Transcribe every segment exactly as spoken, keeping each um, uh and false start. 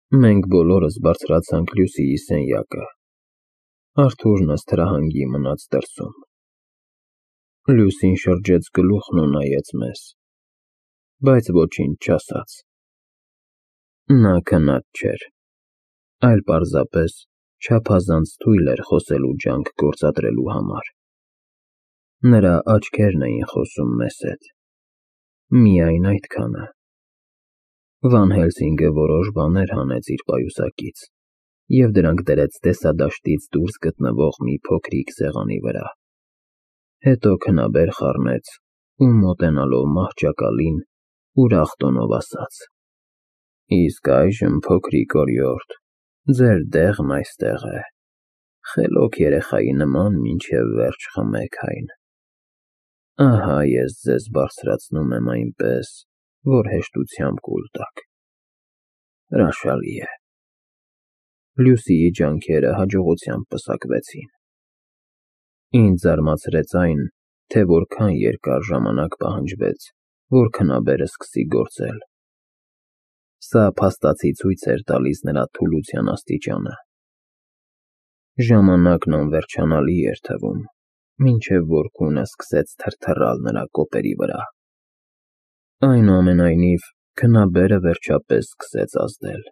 Մենք բոլորս բարձրացանք Լյուսիի սենյակը, Արթուրն ըստ հրահանգի մնաց դրսում։ Լյուսին շրջեց գլուխն ու նայեց մեզ, բայց ոչինչ չասաց։ Նա քնած չէր, այլ պարզապես չափազանց թույլ էր խոսելու ջանք գործադրելու համար։ Նրա աչքերն էին խոսում մեզ հետ, միայն այդքանը։ Վան Հելսինգը որոշ բաներ հանեց իր պայուսակից և դրանք դրեց տեսադաշտից դուրս գտնվող մի փոքրիկ սեղանի վրա, հետո քնաբեր խառնեց ու մոտենալով մահճակալին ուրախ տոնով ասաց. «Իսկ այժմ, փոքրիկ օրիորդ, ձեր դեղն այստեղ է, խելոք երեխայի նման մինչև վերջ խմեք այն։ Ահա ես ձեզ բարձրացնում եմ այնպես, որ հեշտությամբ կուլ տաք։ Հրաշալի է»։ Լյուսիի ջանքերը հաջողությամբ պսակվեցին։ Ինձ զարմացրեց այն, թե որքան երկար ժամանակ պահանջվեց, որ քնաբերը սկսի գործել։ Սա փաստացի ցույց էր տալիս նրա թուլության աստիճանը։ Ժամանակն անվերջանալի էր թվում, մինչև որ քունը սկսեց թրթռալ նրա կոպերի վրա։ Այնուամենայնիվ, քնաբերը վերջապես սկսեց ազդել,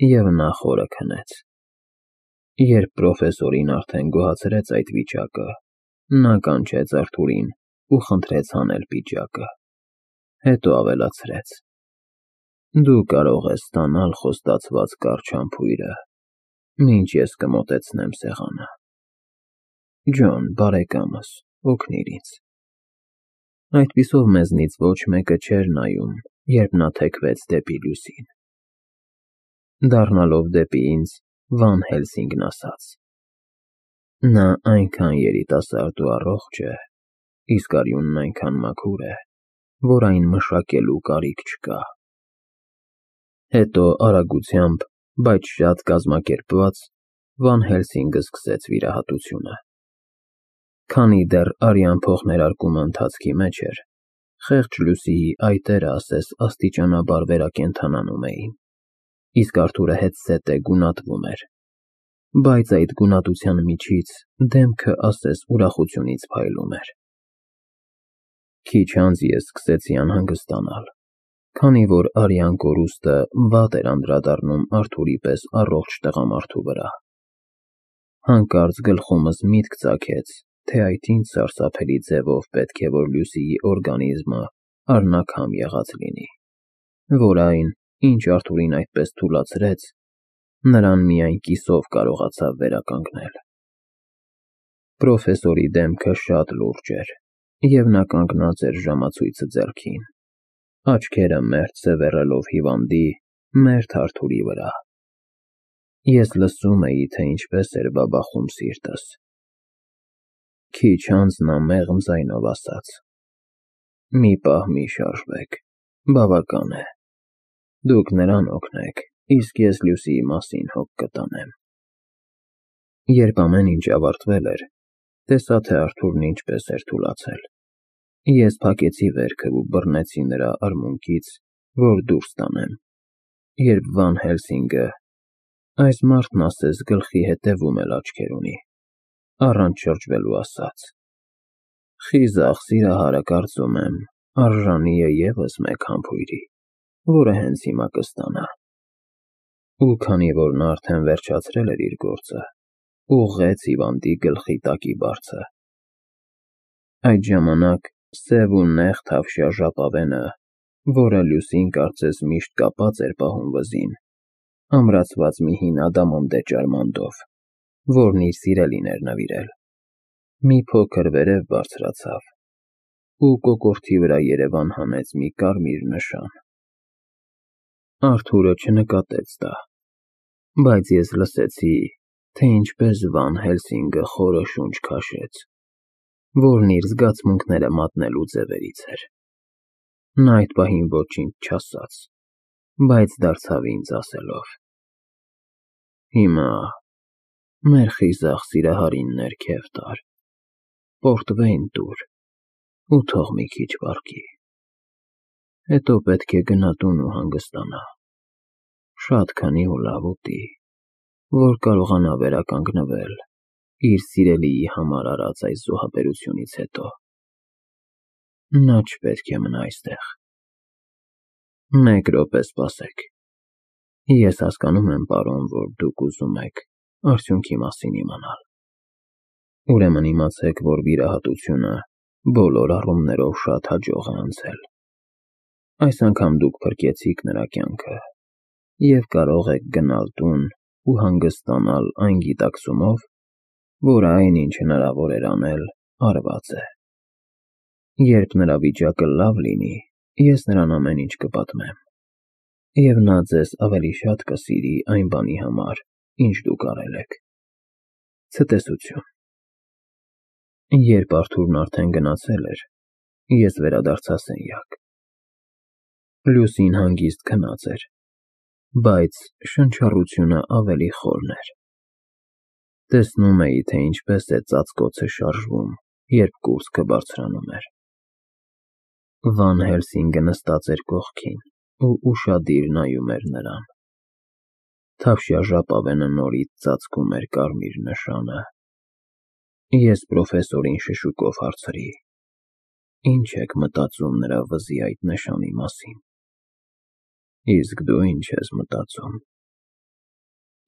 և նա խորը քնեց։ Երբ պրոֆեսորին արդեն գոհացրեց այդ վիճակը, նա կանչեց Արթուրին ու խնդրեց հանել պիջակը, հետո ավելացրեց. «Դու կարող ես ստանալ խոստացված կարճ համբույրը, մինչ ես կմոտեցնեմ սեղանը։ Ջոն, բարեկամս, օգնիր ինձ»։ Այդպիսով մեզնից ոչ մեկը չէր նայում, երբ նա թեքվեց դեպի Լյուսին։ Դառնալով դեպի ինձ, Վան Հելսինգն ասաց. «Նա այնքան երիտասարդ ու առողջ է, իսկ արյունն այնքան մաքուր է, որ այն մշակելու կարիք չկա»։ Հետո արագությամբ, բայց շատ կազմակերպված, Վան Հելսինգը սկսեց վիրահատությունը։ Քանի դեռ արյան փոխներարկումը ընթացքի մեջ էր, խեղճ Լյուսիի այտերը ասես աստիճանաբար վերակենդանանում էին, իսկ Արթուրը հետզհետե գունատվում էր, բայց այդ գունատության միջից դեմքը ասես ուրախությունից փայլում էր։ Քիչ անց ես սկսեցի անհանգստանալ, քանի որ արյան կորուստը վատ էր անդրադառնում Արթուրի պես առողջ տղամարդու վրա։ Հանկարծ գլխումս միտք ծագեց, թե այդ ինչ սարսափելի ձևով պետք է որ Լյուսիի օրգանիզմը առնաքամ եղած լինի, որ այն, ինչ Արթուրին այդպես թուլացրեց, նրան միայն կիսով կարողացավ վերականգնել։ Պրոֆեսորի դեմքը շատ լուրջ էր, և նա կանգնած էր ժամացույցը ձեռքին, աչքերը մերթ սևեռելով հիվանդի, մերթ Արթուրի վրա։ Ես լսում էի, թե ինչպես էր բաբախում սիրտս։ Քիչ անց նա մեղմ ձայնով ասաց. «Մի պահ մի շարժվեք, բավական է։ Դուք նրան օգնեք, իսկ ես Լյուսիի մասին հոգ կտանեմ»։ Երբ ամեն ինչ ավարտվել էր, տեսա, թե Արթուրն ինչպես էր թուլացել։ Ես փակեցի վերքը ու բռնեցի նրա արմունկից, որ դուրս տանեմ, երբ Վան Հելսինգը, այս մարդն ասես գլխի հետևում էլ աչքեր ունի, առանց շրջվելու ասաց. «Խիզախ սիրահարը, կարծում եմ, արժանի է ևս մեկ համբույրի, որը հենց հիմա կստանա»։ Ու քանի որ նա արդեն վերջացրել էր իր գործը, ուղղեց հիվանդի գլխի տակի բարձը։ Այդ ժամանակ սև ու նեղ թավշյա ժապավենը, որը Լյուսին կարծես միշտ կապած էր պահում վզին, ամրացված մի հին ադամանդե ճարմանդով, որն իր սիրելին էր նվիրել, մի փոքր վերև բարձրացավ ու կոկորդի վրա երևան հանեց մի կարմիր նշան։ Արթուրը չնկատեց դա, բայց ես լսեցի, թե ինչպես Վան Հելսինգը խորը շունչ քաշեց, որն իր զգացմունքները մատնելու ձևերից էր։ Նա այդ պահին ոչինչ չասաց, բայց դարձավ ինձ ասելով. «Հիմա մեր խիզախ սիրահարին ներքև տար, պորտվեյն տուր ու թող մի քիչ վառվի։ Հետո պետք է գնա տուն ու հանգստանա։ շատ քանի ու լավ ուտի, որ կարողանա վերականգնվել իր սիրելիի համար արած այս զոհաբերությունից հետո։ Նա չպետք է մնա այստեղ։ Մեկ րոպե սպասեք։ Ես հասկանում եմ, պարոն, որ դուք ուզում եք արդյունքի մասին իմանալ։ Ուրեմն իմացեք, որ վիրահատությունը բոլոր առումներով շատ հաջող է անցել։ Այս անգամ դուք փրկեցիք նրա կյանքը և կարող եք գնալ տուն ու հանգստանալ այն գիտակցումով, որ այն, ինչ հնարավոր էր անել, արված է։ Երբ նրա վիճակը լավ լինի, ես նրան ամեն ինչ կպատմեմ, և նա ձեզ ավելի շատ կսիրի այն բանի համար, ինչ դուք արել եք։ Ցտեսություն։ Երբ Արթուրն արդեն գնացել էր, ես վերադարձա սենյակ։ Լուսին հանգիստ քնած էր, բայց շնչառությունը ավելի խորն էր։ Տեսնում էի, թե ինչպես է ծածկոցը շարժվում, երբ կուրծքը բարձրանում էր։ Վան Հելսինգը նստած էր կողքին ու ուշադիր նայում էր նրան։ Թավշյա ժապավենը նորից ծածկում էր կարմիր նշանը։ Ես պրոֆեսորին շշուկով հարցրի. Ինչ եք մտածում նրա վզի այդ նշանի մասին։ Իսկ դու ինչ ես մտածում։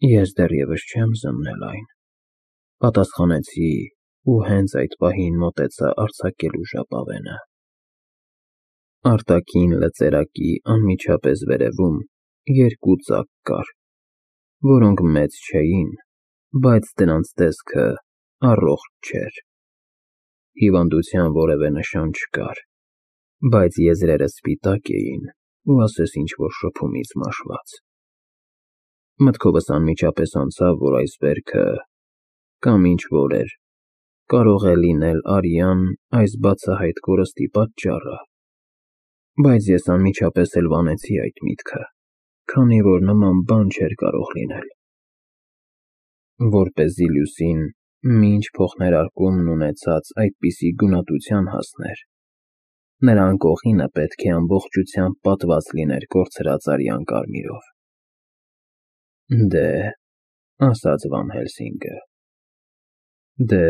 Ես դեռևս չեմ զննել այն, պատասխանեցի ու հենց այդ պահին մոտեցա արձակելու ժապավենը։ Արտաքին լծերակի անմիջապես վերևում երկու ծակ կար, որոնք մեծ չէին, բայց դրանց տեսքը առողջ չէր։ Հիվանդության որևէ նշան չկար, բայց եզրերը սպիտակ էին ու ասես ինչ-որ շփումից մաշված։ Մտքովս անմիջապես անցավ, որ այս վերքը կամ ինչ-որ էր, կարող է լինել արյան այս բացահայտ կորստի պատճառը, բայց ես անմիջապես էլ վանեցի այդ միտքը, քանի որ նման բան չէր կարող լինել։ Որպեսզի Լուսին մինչ փոխներարկումն ունեցած այդպիսի գունատության հասներ, նրա անկողինը պետք է ամբողջությամբ պատված լիներ կորցրած արյան կարմիրով։ Դե, ասաց Վան Հելսինգը, դե,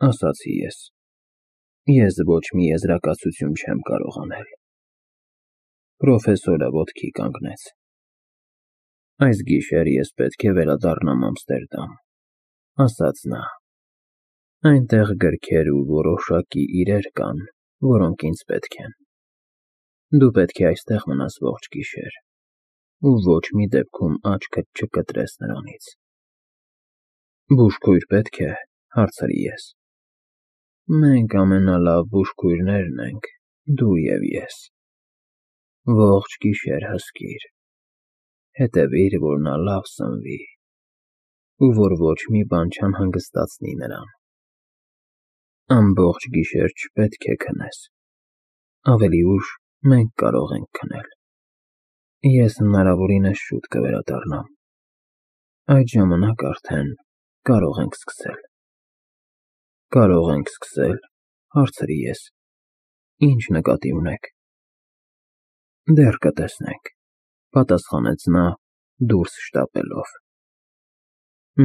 ասացի ես, ես ոչ մի եզրակացություն չեմ կարող անել։ Պրոֆեսորը ոտքի կանգնեց։ Այս գիշեր ես պետք է վերադառնամ Ամստերդամ, ասաց նա։ Այնտեղ գրքեր ու որոշակի իրեր կան, որոնք ինձ պետք են։ Դու պետք է այստեղ մնաս ողջ գիշեր ու ոչ մի դեպքում աչքդ չկտրես նրանից։ Բուժքույր պետք է, հարցրի ես։ Մենք ամենալավ բուժքույրներն ենք, դու և ես։ Ողջ գիշեր հսկիր, հետևիր, որ նա լավ սնվի, ու որ ոչ մի բան չանհանգստացնի նրան։ Ամբողջ գիշեր չպետք է քնես, ավելի ուշ մենք կարող ենք քնել։ Ես հնարավորինս շուտ կվերադառնամ, այդ ժամանակ արդեն կարող ենք սկսել։ Կարող ենք սկսել, հարցրի ես, ինչ նկատի ունեք։ Դեռ կտեսնենք, պատասխանեց նա դուրս շտապելով։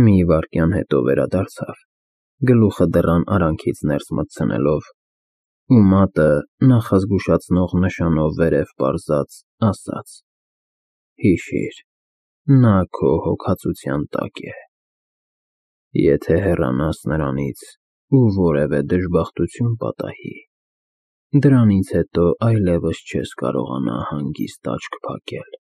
Մի վայրկյան հետո վերադարձավ, գլուխը դռան արանքից ներս մտցնելով, ու մատը նախազգուշացնող նշանով վերև պարզած ասաց. Հիշիր, նա քո հոգացության տակ է։ Եթե հեռանաս նրանից ու որևէ դժբախտություն պատահի, դրանից հետո այլևս չես կարողանա հանգիստ աչք փակել։